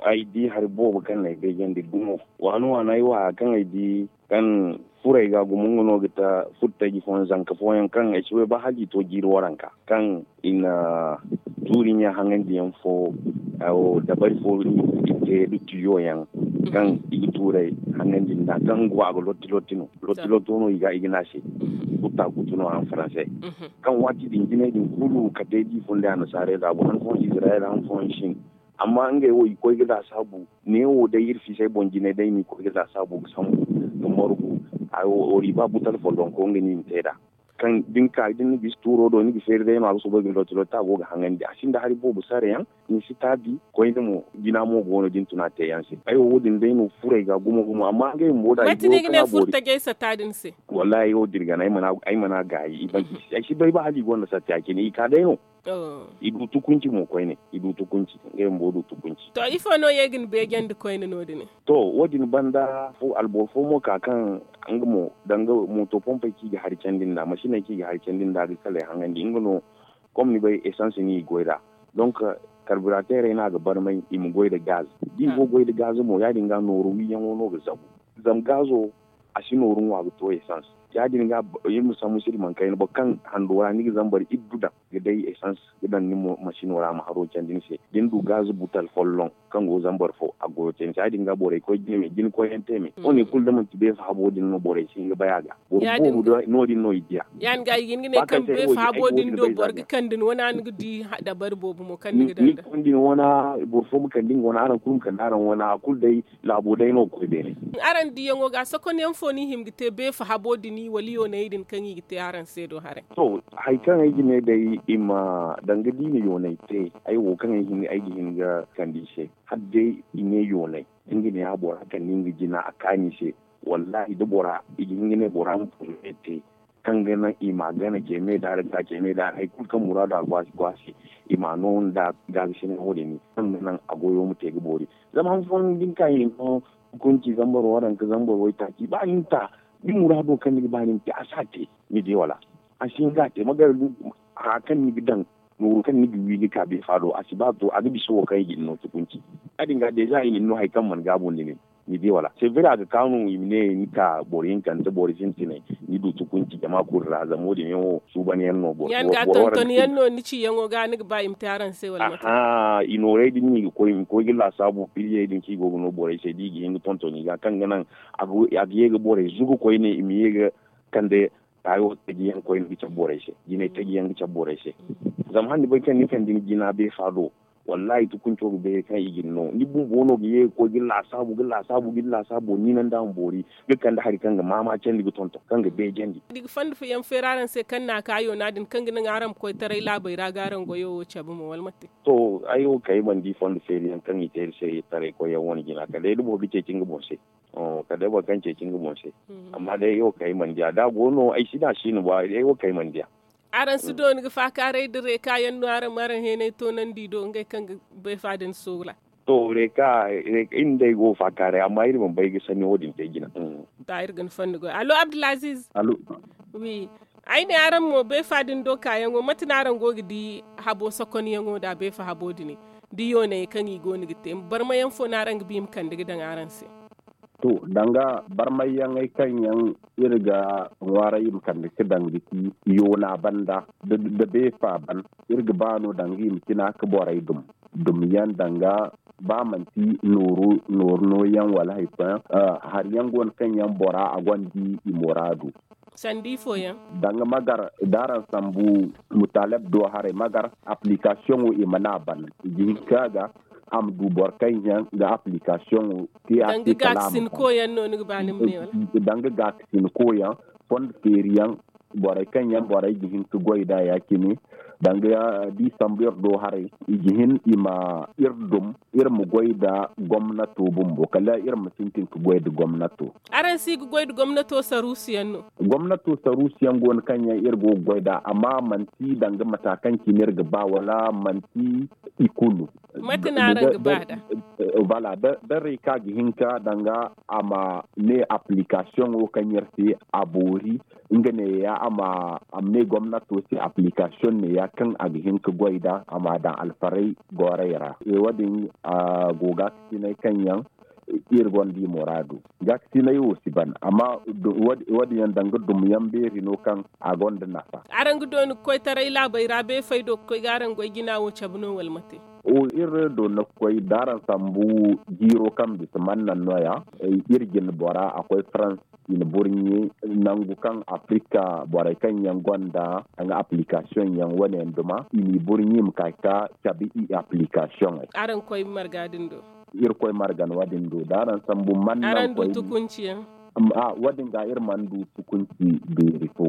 ay di hari boobo kaŋ no ay beejandi gumo waani waani ay wo haya kaŋ ay di kaŋ furey ga gumo nga no ga ta furtaji fooyaŋ zanka fooyaŋ kaŋ ay si bay ba hala i to jiiri waranka kaŋ i na tuuri ɲa haŋandiyaŋ fo dabari fo i te da tiyo yaŋ kaŋ i ga tuurey haŋandi nda kaŋ go a ga lotti lotti no lotti lotto no i ga i ga ne a se kutta kuttu no araŋ faranse kaŋ waati din jinay din kulu kate da i fun day annasaarey laabo han fooyaŋ izirayel han fooyaŋ sin. Amma ngey wo i koy ga laasaabu neewo day iri fiisay boŋ jinay day no i koy ga laasaabu ga sambu ga margu. Wala i ba butal follonko nga no i ma te nd'a kaŋ da ni ka da ni na bisa tuuro do ni ga feeri day no a ga soobay ga lotti lotti a go ga haŋandi a sinda hari boobo sare yaŋ. Ni si taabi koyne mo jina mo go no da ni tun a te yaŋ se ay wo wo- din day no furey ga gumo gumo amma ngey bumbo da ay go ga ne furtajey sata din se. Wallahi ay wo dirgan ay mana gaayi i ban ay si bay ba hala i gonda satta ya- cine i ka day no. I du tukunci mo koyne i du tukunci ngey bumbo du tukunci. To ifo no ye ga ni beejandi koyne no- din? To wo- din banda alboro fo mo ka kaŋ nga mo danga mooto pompey kaŋ i ga hari candi nd'a masiney kaŋ i ga hari candi nd'a ga kaley haŋandi nga no. Kom ni bay esans no i goy nd'a donk karbirateerey no a ga barmay i ma goy nda gaz. Da i go ga goy nda gaz mo ya- din ga nooru wiiyaŋo no ga zabu. Zama gaazo a si nooru ŋwa ga to esans. Ya- din ga iri ma sambu sirri mana kayna boro kaŋ hando ra ni ga zambar iddu daŋ ga day esans ga daŋ ni masino ra a ma haro candi ni se da ni du gaz butal folloŋ kaŋ go zambar fo a goyo te ni se ya- din ga borey koy jine me jine koyyaŋ te me wo- ne kulu da manti beefa habo din no borey si hin ga bay a ga. Boro boobo no- din no i diya. Ya- din ga i ga hin ga ne kaŋ beefa habo din do boro ga kande ni wane a ni ga di dabari boobo mo kaŋ ni ga daŋ da ni ga kande ni wane. Boro fo ma kande nga wane araŋ kulu ma kande araŋ wane a kulu day laabo day no ga koy beene. Araŋ diyaŋo ga sokonyaŋ fo no i hima ga te beefa habo din wala yoonay din kaŋ i ga te araŋ se do haray? To, hari kaŋ ay ga ne day i ma danga da i na yoonay te ay wo kaŋ ay ga hin ga kande i se hala day i ne yoonay da nga ne a bora kande nga jina a kaani se. Wallahi da bora i ga hin ga ne bora ma porme te. kaŋ ga naŋ i ma gana ce me daara ga ce me daara hari kulu kaŋ muraadu a go a se i ma no nda gaabi sine wo- din kaŋ ga naŋ a goyo ma te ga boori. Zama han fooyaŋ da ni ka i no hukunci zambar waranka zambar waytaaci ba ni ta ni muraado kaŋ ni ga ba ni ma te a si a te. Ni di wala a si hin ga a te magar. Haya kaŋ ni ga daŋ nooru kaŋ ni ga wi ga ka beefa do a si ba to a ga bisa wo kaŋ i ga ni no hukunci. Ya- din ga deeza i na ni no hari kaŋ mana gaabu nda nin. Ni di wala se bira a ga kaanu i ma ne ni ka boro hinkante boro sintinay ni du tukunci jama kulu ra zama wo- din yaŋ wo suuban yaŋ no boro. Yaŋ ga tonton yaŋ no ni ciyaŋo ga ni ga ba i ma te araŋ se wala mate? Aha i nooray din no i ga koy i ma koy ga laasaabu piliyey din kaŋ i go ga no borey se da i ga hin ga tonton i ga kaŋ ga naŋ a ga ye ga borey zugu koyne i ma ye ga kande. Taayo taji yaŋ koyne ga cabe borey se jinay taji yaŋ ga cabe borey se. Zama handi bay kaŋ ni kande ni jina beefa do. Wallahi tukunco ga beeri kaŋ i ga ni no ni bumbo no ga ye ga koy ga laasaabu ga laasaabu ga ni laasaabu ni naŋ da a ma boori ga kande hari kaŋ ga maama candi ga tonton kaŋ ga beejandi. Ni ga fondo fooyaŋ feeri araŋ se kaŋ na a ka yoona din kaŋ ga naŋ araŋ ma koy taray laabey ra ga araŋ goyo wo cabe mo wala mate? To ay wo kay mana di fondo feeri yaŋ kaŋ i te iri se taray koy yaŋ wane jina kala day da boro ga ceeci nga boŋ se. Kala day boro kaŋ ceeci nga boŋ se. Amma day ay wo kay mana di a da a go no ay si ne a si no ba ay wo kay mana di a. Araŋ si dooni ga faakaaray da reeka yaŋ no araŋ ma araŋ heenay toonandi do ngey kaŋ ga beefa din soola. To reeka iri nda ay go faakaaray amma iri mana bay ga sanni wo- din te jina. Taa iri ga ni fondo goy allo abdulaziz. Wi. Ay ne araŋ mo beefa din do kaayaŋo mate no araŋ go ga di habo sokonyaŋo nda beefa habo din? Da yooney kaŋ i go no ga te barmayaŋ fo no araŋ ga ba i ma kande ga daŋ araŋ se? To danga barmayyaŋey kaŋ yaŋ iri ga ŋwaaray i ma kande ga daŋ ga ci yoona banda da beefa ban. Iri ga ba no danga i ma cina ga borey dum dum yaŋ danga ba manti nooru nooru no yaŋ wala hari fooyaŋ. Hari yaŋ go no kaŋ yaŋ bora a gonda i muraadu. Sanda ifooyaŋ? Danga magar da araŋ sambu mutaleb do haray magar application wo i mana a ban i ga hin ka ga a ma du boro kaŋ yaŋ ga application wo te a te kala a ma ban. Danga gaakasinko yaŋ fondo feeri yaŋ borey kaŋ yaŋ borey ga hin ka goy nd'a ya- cine danga da i sambu iri do haray i ga hin i ma iri dum iri ma goy nda gomnato bumbo kala iri ma sintin ka goy nda gomnato. Araŋ si ga goy nda gomnato saruusu yaŋ no? Gomnato saruusu yaŋ go no kaŋ yaŋ iri go ga goy nd'a amma manti danga mata kaŋ cine iri ga ba wala manti i kulu. Mate no araŋ ga ba nd'a? Voilà da reka ga hinka danga a ma ne application wo kaŋ iri te a boori nga neeya a ma ne gomnato se application neeya kaŋ a ga hin ka goy nd'a a ma daŋ alfaray goray ra. Wo- din a go ga ga sinay kaŋ yaŋ iri gonda i muraadu. Ga ga sinay wo si ban amma wo- din yaŋ danga dum yaŋ beeri no kaŋ a gonda nafa. Araŋ ga dooni ga koy taray laabey ra beefey do ga koy ga araŋ goy jina wo cabe no wala mate? Iri doona ga koy da araŋ sambu jiiro kaŋ bisa mannan no- ya iri jine bora a koy farans i na burɲe nangu kaŋ afrika borey kaŋ yaŋ gonda danga application yaŋ wane yaŋ duma i n'i burɲe i ma ka ga cabe i application. Araŋ koy marga din do? Iri koy marga no- din do da araŋ sambu mannan koy. Wo- din ga iri mana du tukunci beeri fo.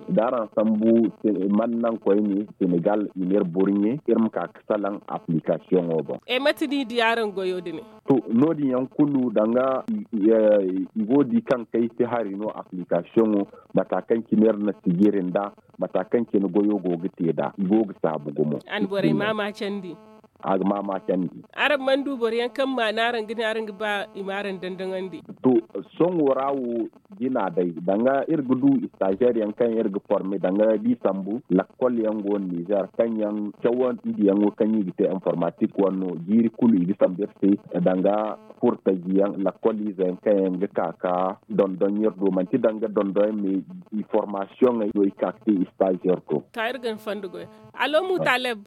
Da araŋ sambu mannan koyne senegal i na iri burɲe iri ma ka ga salaŋ application wo boŋ. Mate no i di araŋ goyo din? To no- din yaŋ kulu danga i go ga di kaŋ kay si hari no application wo mata kaŋ cine iri na sijiri nd'a mata kaŋ cine goyo go ga te nd'a i go ga saabu gumo. A na borey maama candi. A ga maama candi. Araŋ mana du boro yaŋ kaŋ maana araŋ ga ne araŋ ga ba i ma araŋ dandaŋandi? To sohõ ra wo jina day danga iri ga du stagiaire yaŋ kaŋ iri ga forme danga da i sambu lakkol yaŋ go no nizer kaŋ yaŋ cawandiyaŋo kaŋ i ga te informatik wane no jiiri kulu i ga sambu iri se danga furtaji yaŋ lakkol ize yaŋ kaŋ yaŋ ga ka ga dondon iri do manti danga dondon yaŋ me i formasiyoŋey no i ka ga te i stagiaire do. Taa iri ga ni fondo goy. Allo mutaleb,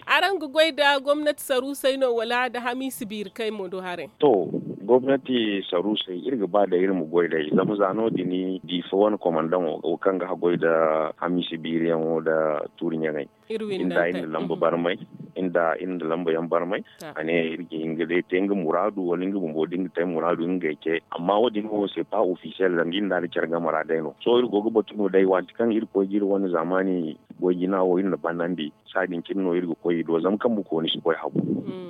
araŋ ga goy nda gomnati saruusey no wala nda hamiisi biiri kay mo do haray? To gomnati saruusey iri ga ba day iri ma goy day zama za no- din diifa wane komandaŋo wo kaŋ ga haggoy nda hamiisi biiriyaŋo nda tuuri ɲaŋey. Iri winda iri na lamba barmay. Iri da iri nda lamba yaŋ barmay. A ne iri ga hin ga day te nga muraadu wala nga bumbo da nga te muraadu nga ga ay ce. Amma wo- din wo se pa ofisiyel zama iri nda a da care game ra day no sohõ iri go ga batu no day waati kaŋ iri koy ga iri wane zaamaani goy jina wo iri na banandi. Saadin cine no iri ga koy i do zama kambe kooni si koy habu.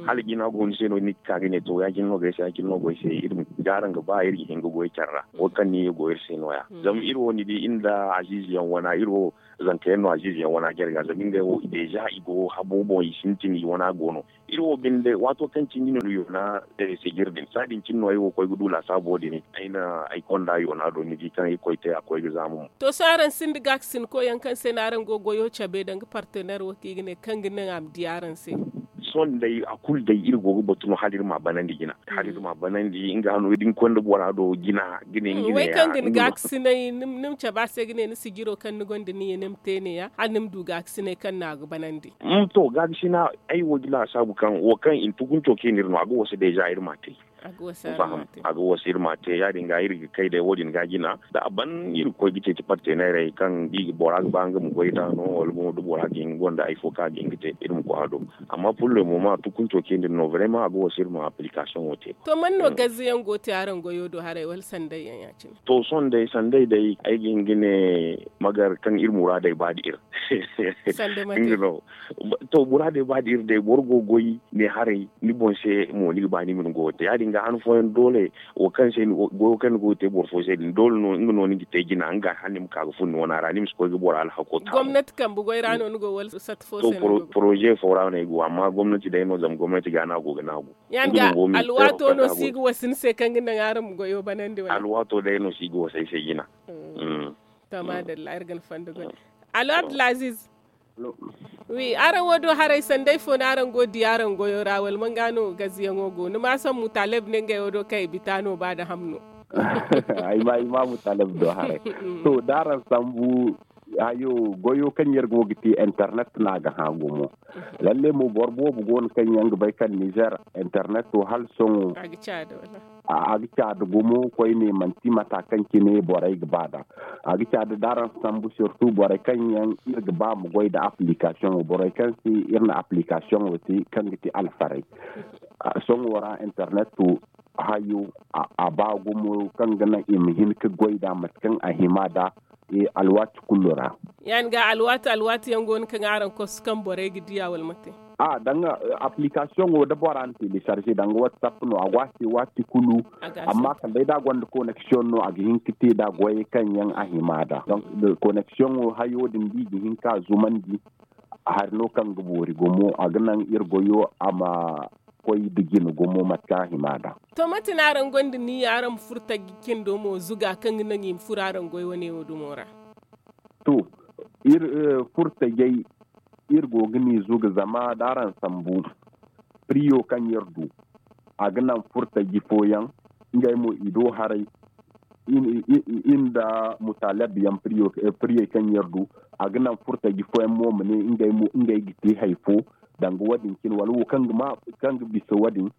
Hala jina go ni se no ni ga ka ga ne to ya- cine no go ay se ya- cine no go ay se iri ma ga araŋ ga ba iri ga hin ga goy care ra. Wo kaŋ ni ye go iri se no- ya zama iri wo ni di iri nda aziize yaŋ wana iri wo zanka yaŋ no aziize yaŋ wana jare ga zama ngey wo deeza i go habo boŋ i sintin i wana go no. Iri wo binde waato kaŋ cine no yoona sijir din saadin cine no ay wo koy ga du laasaabo din ay na ay konda yoona do ni di kaŋ ay koy te a koy ga zaama mo. To sohõ araŋ sinda gaakasinko yaŋ kaŋ se no araŋ go goyo cabe danga partener wo kaŋ i ga ne kaŋ ga naŋ a ma di araŋ se? Sohõ day a kulu day iri go ga batu no hala iri ma a banandi jina hala iri ma a banandi nga hano da ni koy nda bora do jina ga ne nga ne ya. Kaŋ ga ni gaakasinay ni ma cabe a se ga ne ni sijiro kaŋ ni gonda ni ye ni ma te ne- ya hala ni ma du gaakasinay kaŋ no a ga banandi. To gaakasina ay wo ga laasaabu kaŋ wo kaŋ i na tukunco kaŋ i na iri no a ga wasa deeza iri ma a te. A ga wasa iri ma a te ya- din ga iri ga kay day wo- din ga jina da a ban iri ga koy ga ceeci parteneerey kaŋ da i ga bora ga ba nga ma goy nd'a no wala mo da bora ga hin gonda hari fo kaŋ a ga hin ga te iri ma koy a do. Amma pullo mo ma tukunco kaŋ iri no barema a ga wasa iri ma aplikasiyoŋo te. To man no gaze yaŋ go ga te araŋ goyo do haray wala sanday yaŋ ya- cine? To sohõ day sanday day ay ga hin ga ne magar kaŋ iri muraadey ba nda iri. To muraadey ba nda iri day boro go ga goy ne haray ni boŋ se mo ni ga ba ni ma ni goyo te ya- din ga han fooyaŋ doole wo kaŋ se goyo kaŋ ni go ga te boro fo se din doole no nga no ni ga te jina nga hala ni ma ka ga fun ni wana ra ni ma si koy ga boro alhako ta. Gomnati kambe goy ra no ni go wala sat fo se no ni go? Poroze fo ra no ay go amma gomnati day no zama gomnati ga no a go ga naagu. Ya- din ga alwaato no si ga wasa ni se kaŋ ga naŋ araŋ ma goyo banandi wala? Alwaato day no si ga wasa ay se jina. To maadalla iri ga ni fondo goy. Allo abdulaziz. Wi araŋ wo do haray sanday fo no araŋ go ga di araŋ goyo ra wala man ga no gaziyaŋo go ni ma a sambu taleb ne ngey wo do kaŋ i bita no ba nda ham no? Ay ma i ma mutaleb do haray. To da araŋ sambu hayo goyo kaŋ iri go ga te internet no a ga hã gumo. Lalle mo boro boobo go no kaŋ yaŋ ga bay kaŋ nizer internet wo hala sohõ a ga caada gumo koyne manti mata kaŋ cine borey ga ba nd'a. A ga caada da araŋ sambu surtout borey kaŋ yaŋ iri ga ba ma goy nda application wo borey kaŋ se iri na application wo te kaŋ ga te alfaray. Sohõ ra internet wo hayo a ba gumo kaŋ ga naŋ i ma hin ga goy nd'a mate kaŋ a hima nd'a. Alwaati kulu ra. Ya- din ga alwaati alwaati yaŋ go no kaŋ araŋ kosu kaŋ borey ga diya wala mate? A danga application wo da bora na télécharger danga whatsapp no a go a se waati kulu. Amma kala day da a gonda connection no a ga hin ga te nd'a goyey kaŋ yaŋ a hima nd'a. Connection wo hayo din da i ga hin ka zumandi hari no kaŋ ga boori gumo a ga naŋ iri goyo a ma koy nda jine gumo mate kaŋ a hima nd'a. To mate no araŋ gonda niyya araŋ ma furo taji cindo mo zuga kaŋ ga naŋ i ma furo araŋ goy wane wo dumo ra? To iri furo tajey iri go ga ni zuga zama da araŋ sambu priyo kaŋ iri du a ga naŋ furo taji fooyaŋ ngey mo i do haray. Iri nda mutaleb yaŋ priyey kaŋ iri du a ga naŋ furo taji fooyaŋ mo ma ne ngey ga te hari fo. Danga wo- din cine wala wo kaŋ ga bisa wo- din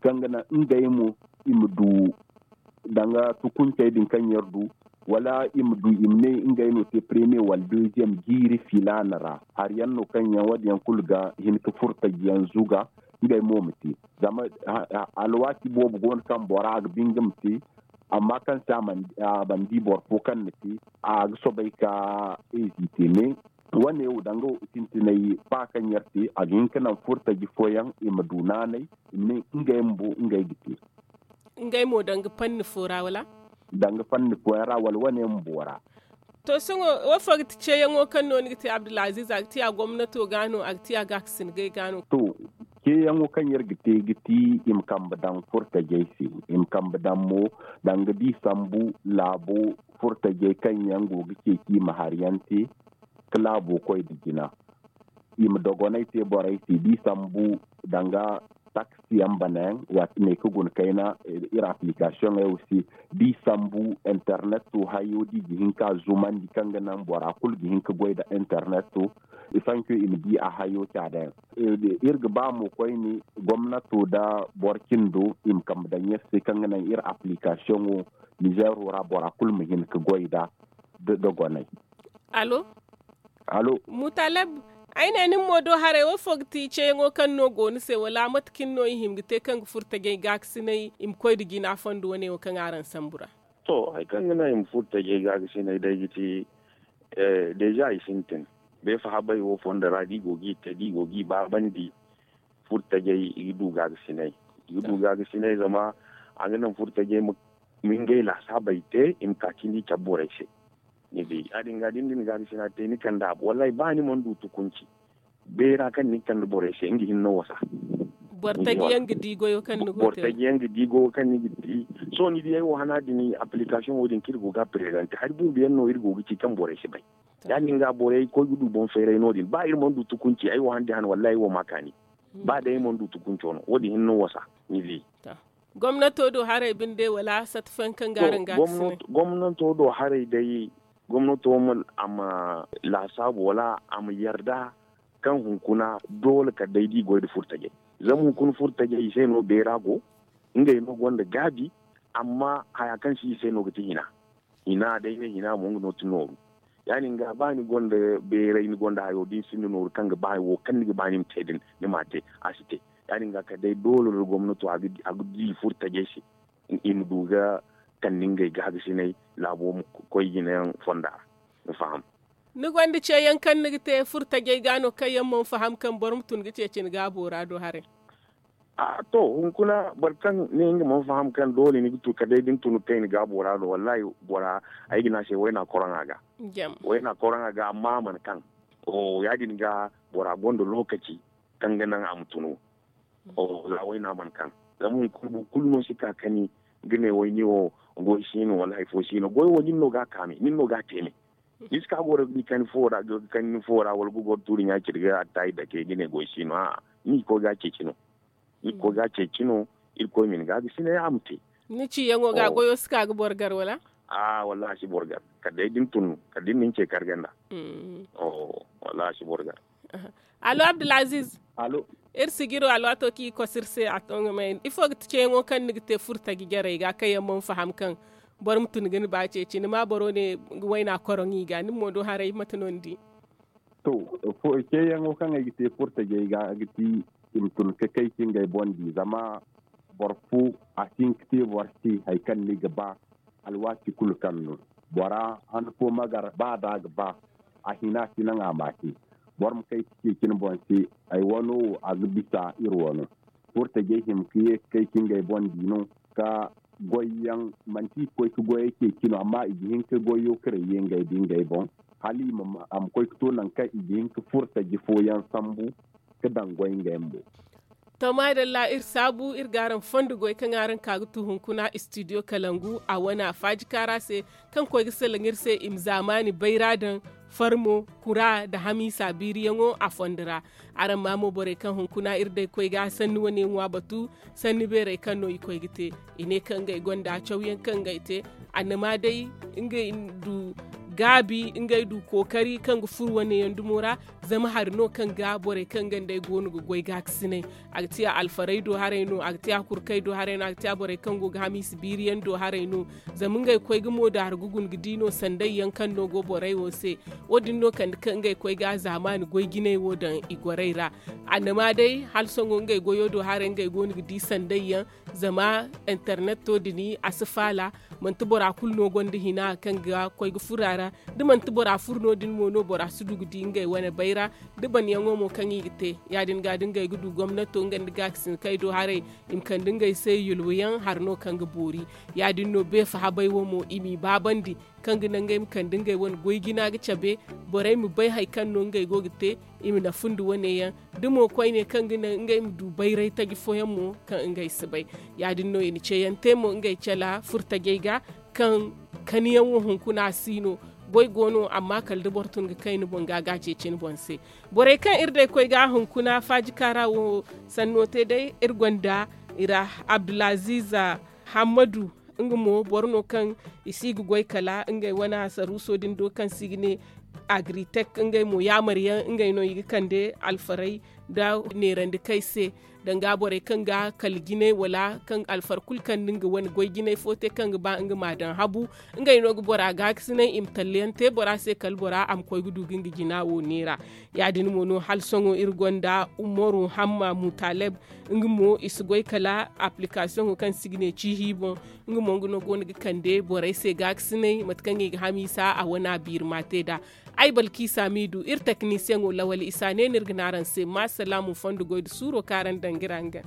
kaŋ ga naŋ ngey mo i ma du danga tukuncey din kaŋ iri du wala i ma du i ma ne ngey no te premier wala deuxième jiiri filaana ra hari yaŋ no kaŋ yaŋ wo- din yaŋ kulu ga hin ga furo taji yaŋ zuga. Ngey mo ma te zama alwaati boobo go no kaŋ bora ga ba nga ma te. Amma kaŋ se a mana di boro fo kaŋ na te a ga soobay ka eezite me. Wane wo danga sintinay ba kaŋ iri te a ga hin ga naŋ furo taji fooyaŋ i ma du naanay i ma ne ngey bumbo ngey ga te. Ngey mo danga fanni fo ra wala? Danga fanni fooyaŋ ra wala wane bumbo ra. To sohõ wo fo ga ti ceeyaŋo kaŋ no ni ga te abdulaziz a ga ti a gomnato ga no a ga ti a gaakasin gay ga no? To ceeyaŋo kaŋ iri ga te ga ti i ma kambe daŋ furo tajey se. I ma kambe daŋ mo danga da i sambu laabo furo tajey kaŋ yaŋ go ga ceeci i ma hari yaŋ te ga laabo koy nda jina. I ma dogonay te borey se da i sambu danga taksi yaŋ bana yaŋ waati ne ga guna kayna iri application yaŋ wo se da i sambu internet wo hayo da i ga hin ka zumandi kaŋ ga naŋ bora kulu ga hin ka goy nda internet wo. Sanco i ma di a hayo caada yaŋ. Iri ga ba mo koyne gomnato nda boro cindo i ma kambe daŋ iri se kaŋ ga naŋ iri application wo nizeero ra bora kulu ma hin ka goy nda dogonay. Allo? Allo? Mutaleb, Ay ne nin mo do haray wo fo ga ti ceeyaŋo kaŋ no go ni se wala mate kaŋ no i hima ga te kaŋ ga furo tajay gaakasinay i ma koy nda jina fondo wane wo kaŋ araŋ sambu ra? To, hari kaŋ ga naŋ i ma furo tajay gaakasinay day ga ti deeza i sintin. Beefa habay wo fondo ra da i go ga i te da i go ga i baabandi furo tajay i ga du gaakasinay. I ga du gaakasinay zama a ga naŋ furo tajay ma ngey laasaabey te i ma ka cindi i cabe borey se. Ni di ya- din ga da ni na gaakasina te ni kande a boŋ wallaahi ba ni mana du tukunci. Beera kaŋ ni ga kande borey se nga hinne no wasa. Boro taji yaŋ ga di goyo kaŋ ni ga te. Sohõ ni di ay wo hana din application wo- din kaŋ iri go ga a prezante hari bumbo yaŋ no iri go ga ci kaŋ borey si bay. Ya- din ga borey koy ga du boŋ feeray no- din ba iri mana du tukunci ay wo hana din hana wallaahi ay wo ma kaani. Ba day ay mana du tukunco no wo- din hinne no wasa. Ni di. Gomnato do haray binde wala sata fooyaŋ kaŋ ga araŋ ga a ga sinay? Gomnato do haray day gomnato ma a ma laasaabu wala a ma yarda kaŋ hunkuna doole kala day da i goy nda furtajey. Zama hunkuna furtajey i se no beera go. Ngey no gonda gaabi. Amma haya kaŋ si i se no ga ti hina. Hina day ne hina mo nga no ti nooru. Ya- din ga ba ni gonda beeray ni gonda hayo da ni sinda nooru kaŋ ga ba wo kaŋ ni ga ba ni ma te din ni m'a te. A si te. Ya- din ga kala day doole nda gomnato a ga di furtajey se. I ma du ga kande ngey gaagasinay laabo ma koy jinayaŋ fonda ra. Ni faham? Ni gonda ceeyaŋ kaŋ ni ga te furtajey ga no kaŋ yaŋ mana faham kaŋ boro ma tun ga ceeci ni gaabo ra do haray? To, hunkuna boro kaŋ ne nga mana faham kaŋ doole ni ga tun kala day da ni tun ga kay ni gaabo ra do wallaahi bora ay ga ne a se wayna koroŋa ga. Wayna koroŋa ga amma a mana kaŋ. Ya- din ga bora gonda lookaci kaŋ ga naŋ a ma tunu. Za wayna mana kaŋ zama hunkuna boro kulu no si ka kani ga ne way ni wo goy si no wala hari fo si no goy wo nin no ga a kaame nin no ga a teeme. Ni si ka goro ga kani fo ra wala ga goro tuuri ɲa ciri ga attaayi dake ga ne goy si no a'a ni ga koy ga a ceeci no. Ni ga koy ga a ceeci no. Irkoy ma ni ga a ga sina ya ma te. Ni ciyaŋo ga goyo si ka ga boro gar wala? A'a wallahi a si boro gar kala day da ni tun kala da ni na ni ce karga nd'a. Wallahi a si boro gar. Allo abdulaziz. Iri sijiro alwaato kaŋ i koso iri se a to nga may ifo ga ti ceeyaŋo kaŋ ni ga te furtaji jarey ga kaŋ yaŋ mana faham kaŋ boro ma tun ga ni ba ceeci ni ma boro ne wayna koroŋ i ga ni mo do haray mate no ni di? To, ceeyaŋo kaŋ ay ga te furtajey ga ga ti i ma tun ga kay ka ngey boŋ di zama boro fo a si hin ga te boro se hari kaŋ ni ga ba. Alwaati kulu kaŋ no bora han fo ma gar ba da a ga ba a hina si naŋ a ma te. Boro ma kay ka ceeci ni boŋ se ay wano wo a ga bisa iri wano. Furtajey hima ka ye ga kay ka ngey boŋ di no ka goyyaŋ manti i ga koy ka goyey ceeci no amma i ga hin ka goyo ka rayye ngey da ngey boŋ hala a ma koy ka to nangu kaŋ i ga hin ka furtaji fooyaŋ sambu ka daŋ goy ngey mo. To maadalla iri saabu iri ga araŋ fondo goy kaŋ araŋ ka ga tu hunkuna istidiyo kalangu a wane a faaji kaara se kaŋ koy ga salaŋ iri se i ma zaamaani bayra daŋ farmo kura nda hamiisa biiriyaŋo a fondo ra. Araŋ ma mo borey kaŋ hunkuna iri day koy ga sanni wane ŋwa batu sanni beerey kaŋ no i koy ga te. I ne kaŋ ngey gonda cawyaŋ kaŋ ngey te annama day ngey du gaabi ngey du kookari kaŋ ga furo wane yaŋ dumo ra. Zama hari no kaŋ ga borey kaŋ ga nd'ey go no ga goy gaakasinay. A ga ti a alfarey do haray no a ga ti a kurkey do haray no a ga ti a borey kaŋ go ga hamiisa biiriyaŋ do haray no. Zama ngey koy ga moodaari ga guna ga di no sanday yaŋ kaŋ no go borey wo se. Wo- din no kande kaŋ ngey koy ga zaamaani goy jinay wo daŋ i gorey ra. Annama day hala sohõ ngey goyo do haray ngey go no ga di sanday yaŋ. Zama interneto din a si faala. Manti bora kulu no gonda hina kaŋ ga koy ga furo a ra. Da manti bora furo no- din mo no bora si du ga di ngey wane bayra. Da banyaŋo mo kaŋ i ga te ya- din ga da ngey ga du gomnato nga nda gaakasinkey do haray i ma kande ngey se yulwayaŋ hari no kaŋ ga boori. Ya- din no beefa habay wo mo i m'i baabandi kaŋ ga naŋ ngey ma kande ngey wane goy jina ga cabe. Borey ma bay hari kaŋ no ngey go ga te i ma nafu nda wane yaŋ. Da mo koyne kaŋ ga naŋ ngey ma du bayray taji fooyaŋ mo kaŋ ngey si bay. Ya- din no i na ceeyaŋ te mo ngey cala furtajey ga kaŋ kaniyaŋo hunkuna si no. Goy go no amma kala da boro tun ga kay ni boŋ ga ga ceeci ni boŋ se. Borey kaŋ iri day koy ga hunkuna faaji kaara wo sanno te day iri gonda i ra abdulaziza hammadu. Nga mo boro no kaŋ i si ga goy kala ngey wane asaruuso din do kaŋ se i ga ne agritek ngey mo yaamar yaŋ ngey no i ga kande alfarey nda neerandi kay se, danga borey kaŋ ga kala jinay wala kaŋ alfar kulu kaŋ nda nga wane goy jinay fo te kaŋ ga ba nga ma a daŋ habu. Ngey no ga bora gaakasinay i ma talla yaŋ te bora se kala bora a ma koy ga du ga nga jina wo neera. Ya- din mo no hala sohõ iri gonda umaru hamma mutaleb. Nga mo i si goy kala aplikasiyoŋo kaŋ se i ga ne ciihi boŋ. Nga mo nga no go no ga kande borey se gaakasinay mate kaŋ i ga hamiisa a wane a biiri ma te nd'a. Ay balkiisa m'i du iri teknisiyeŋo lawali isa ne no iri ga ne araŋ se ma salaamu fondo goy nda suuro kaŋ araŋ daŋ ga iri hangan.